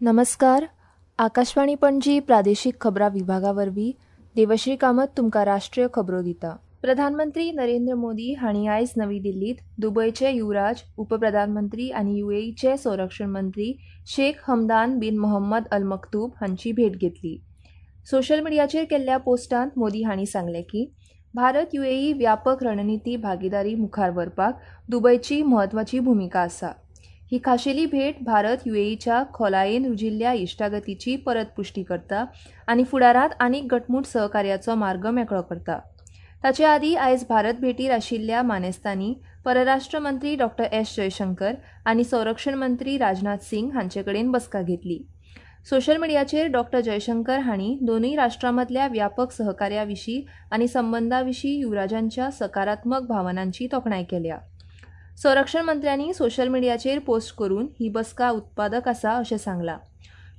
नमस्कार. आकाशवाणी पणजी प्रादेशीक खबरां विभागा वरवीं देवश्री कामत तुमकां राष्ट्रीय खबरो दिता. प्रधानमंत्री नरेंद्र मोदी हांणी आयज नवी दिल्लीत दुबयचे युवराज, उपप्रधानमंत्री आनी युएईचे संरक्षण मंत्री Sheikh Hamdan bin Mohammed Al Maktoum हांची भेट घेतली. सोशल मिडियाचेर केल्ल्या पोस्टांत मोदी हांणी सांगलें की भारत युएई व्यापक रणनिती भागीदारी मुखार व्हरपाक दुबयची म्हत्वाची भुमिका आसा. ही खाशेली भेट भारत युएईच्या खोलायेन रुजिल्ल्या इश्टागतीची परत पुष्टी करता आनी फुडारांत आनीक घटमूट सहकार्याचो मार्ग मेकळो करता. ताचे आदीं आयज भारत भेटीर आशिल्ल्या मानेस्तांनी परराष्ट्र मंत्री डॉ. एस. जयशंकर आनी संरक्षण मंत्री राजनाथ सिंग हांचे कडेन बसका घेतली. सोशल मिडियाचेर डॉ. जयशंकर हांणी दोनूय राष्ट्रां मदल्या व्यापक सहकार्या विशीं आनी संबंदा विशीं युवराजांच्या सकारात्मक भावनांची तोखणाय केल्या. संरक्षण मंत्र्यांनी सोशल मिडियाचेर पोस्ट करून ही बसका उत्पादक आसा अशें सांगलां.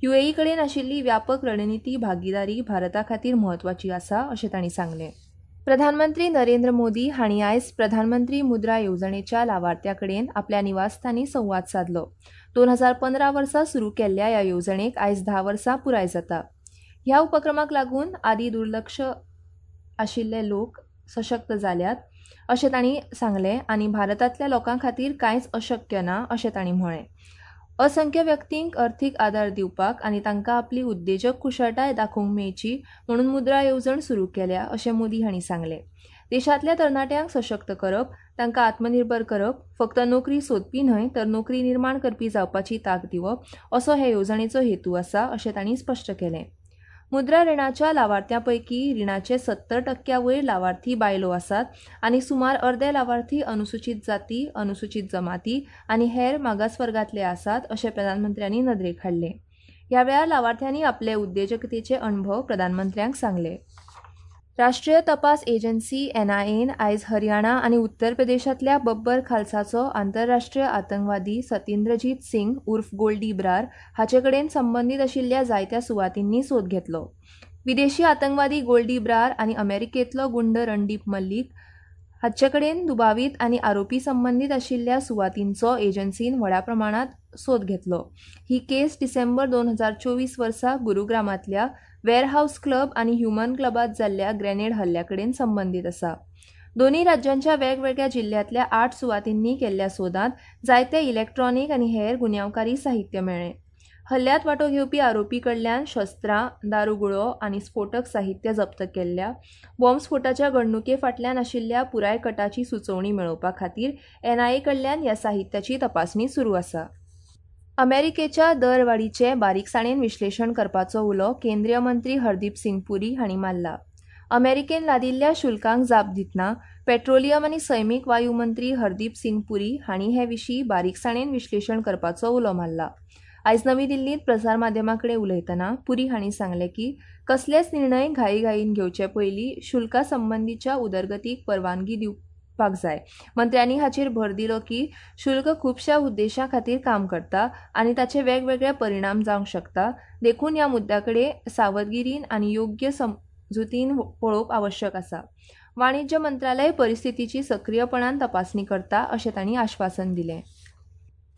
युएई कडेन आशिल्ली व्यापक रणनिती भागीदारी भारता खातीर म्हत्वाची आसा अशें तांणी सांगलें. प्रधानमंत्री नरेंद्र मोदी हांणी आयज प्रधानमंत्री मुद्रा येवजणेच्या लावार्थ्यां कडेन आपल्या निवासस्थानी संवाद सादलो. 2015 वर्सा सुरू केल्ल्या ह्या येवजणेक आयज 10 वर्सां पुराय जाता. ह्या उपक्रमाक लागून आदीं दुर्लक्ष आशिल्ले लोक सशक्त जाल्यात अशें तांणी सांगलें आनी भारतांतल्या लोकां खातीर कांयच अशक्य ना अशें तांणी म्हळें. असंख्य व्यक्तींक अर्थीक आदार दिवपाक आनी तांकां आपली उद्देजक कुशळटाय दाखोवंक मेळची म्हणून मुद्रा येवजण सुरू केल्या अशें मोदी हांणी सांगलें. देशांतल्या तरणाट्यांक सशक्त करप, तांकां आत्मनिर्भर करप, फक्त नोकरी सोदपी न्हय तर नोकरी निर्माण करपी जावपाची तांक दिवप असो हे येवजणेचो हेतू आसा अशें तांणी स्पश्ट केलें. मुद्रा रिणाच्या लावार्थ्यां पैकी रिणाचे 70% वयर लावार्थी बायलो आसात आनी सुमार अर्दे लावार्थी अनुसूचित जाती, अनुसूचित जमाती आनी हेर मागासवर्गांतले आसात अशें प्रधानमंत्र्यांनी नदरेक हाडलें. ह्या वेळार लावार्थ्यांनी आपले उद्देजकतेचे अणभव प्रधानमंत्र्यांक सांगले. राष्ट्रीय तपास एजन्सी एनआयएन आयज हरियाणा आनी उत्तर प्रदेशांतल्या बब्बर खालसाचो आंतरराष्ट्रीय आतंकवादी सतेंद्रजीत सिंग उर्फ गोल्डी ब्रार हाचे कडेन संबंदीत आशिल्ल्या जायत्या सुवातींनी सोद घेतलो. विदेशी आतंकवादी गोल्डी ब्रार आनी अमेरिकेंतलो गुंड रणदीप मल्लीक हाचे कडेन दुबावीत आनी आरोपी संबंदीत आशिल्ल्या सुवातींचो एजन्सीन व्हडा प्रमाणांत सोद घेतलो. ही केस डिसेंबर 2024 वर्सा गुरुग्रामांतल्या वेअरहावस क्लब आनी ह्युमन क्लबांत जाल्ल्या ग्रेनेड हल्ल्या कडेन संबंदीत आसा. दोनूय राज्यांच्या वेगवेगळ्या जिल्ह्यांतल्या 8 सुवातींनी केल्ल्या सोदांत जायते इलेक्ट्रॉनीक आनी हेर गुन्यांवकारी साहित्य मेळ्ळें. हल्ल्यांत वांटो घेवपी आरोपी कडल्यान शस्त्रां, दारुगुळो आनी स्फोटक साहित्य जप्त केल्ल्या. बॉम्बस्फोटाच्या घडणुके फाटल्यान आशिल्ल्या पुराय कटाची सुचोवणी मेळोवपा खातीर एनआयए कडल्यान ह्या साहित्याची तपासणी सुरू आसा. अमेरिकेच्या दरवाडीचें बारीकसाणेन विश्लेशण करपाचो उलो केंद्रीय मंत्री हरदीप सिंग पुरी हांणी मारला. अमेरिकेन लादिल्ल्या शुल्कांक जाप दितना पेट्रोलियम आनी सैमीक वायू मंत्री हरदीप सिंग पुरी हांणी हे विशीं बारीकसाणेन विश्लेशण करपाचो उलो मारला. आयज नवी दिल्लींत प्रसारमाध्यमां कडेन उलयतना पुरी हांणी सांगलें की कसलेच निर्णय घाईघाईन घेवचे पयलीं शुल्का संबंदीच्या उदरगतीक परवानगी दिवपाक जाय. मंत्र्यांनी हाचेर भर दिलो की शुल्क खुबश्या उद्देशां खातीर काम करता आनी ताचे वेगवेगळे परिणाम जावंक शकता, देखून ह्या मुद्द्या कडेन सावधगिरीन आनी योग्य समजुतीन पळोवप आवश्यक आसा. वाणिज्य मंत्रालय परिस्थितीची सक्रीयपणान तपासणी करता अशें तांणी आश्वासन दिलें.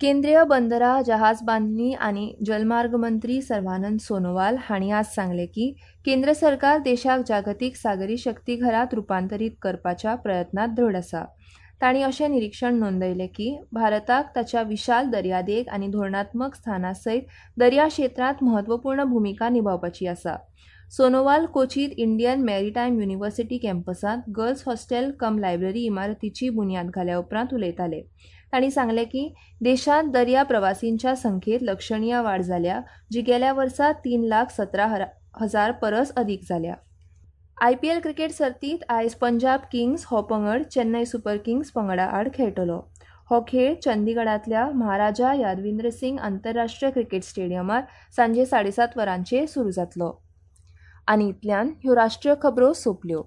केंद्रीय बंदरां, जहाज बांदणी आनी जलमार्ग मंत्री सर्वानंद सोनोवाल हांणी आज सांगलें की केंद्र सरकार देशाक जागतीक सागरी शक्ती घरांत रुपांतरीत करपाच्या प्रयत्नांत दृढ आसा. तांणी अशें निरीक्षण नोंदयलें की भारताक ताच्या विशाल दर्यादेग आनी धोरणात्मक स्थाना सयत दर्या क्षेत्रांत म्हत्वपूर्ण भुमिका निभावपाची आसा. सोनोवाल कोचींत इंडियन मॅरीटायम युनिव्हर्सिटी कॅम्पसांत गर्ल्स हॉस्टेल कम लायब्ररी इमारतीची बुन्याद घाल्या उपरांत उलयताले. तांणी सांगलें की देशांत दर्या प्रवासींच्या संख्येत लक्षणीय वाड जाल्या, जी गेल्या वर्सा 3,17,000 परस अदीक जाल्या. आयपीएल क्रिकेट सर्तींत आयज पंजाब किंग्स हो पंगड चेन्नय सुपर किंग्स पंगडा आड खेळटलो. हो खेळ चंदीगडांतल्या महाराजा यादविंद्र सिंग आंतरराष्ट्रीय क्रिकेट स्टेडियमार सांजे 7:30 वरांचेर सुरू जातलो. आनी इतल्यान ह्यो राष्ट्रीय खबरो सोंपल्यो.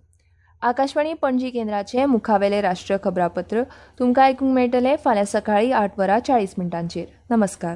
आकाशवाणी पणजी केंद्राचें मुखावेलें राष्ट्रीय खबरापत्र तुमकां आयकूंक मेळटलें फाल्यां सकाळीं 8:40. नमस्कार.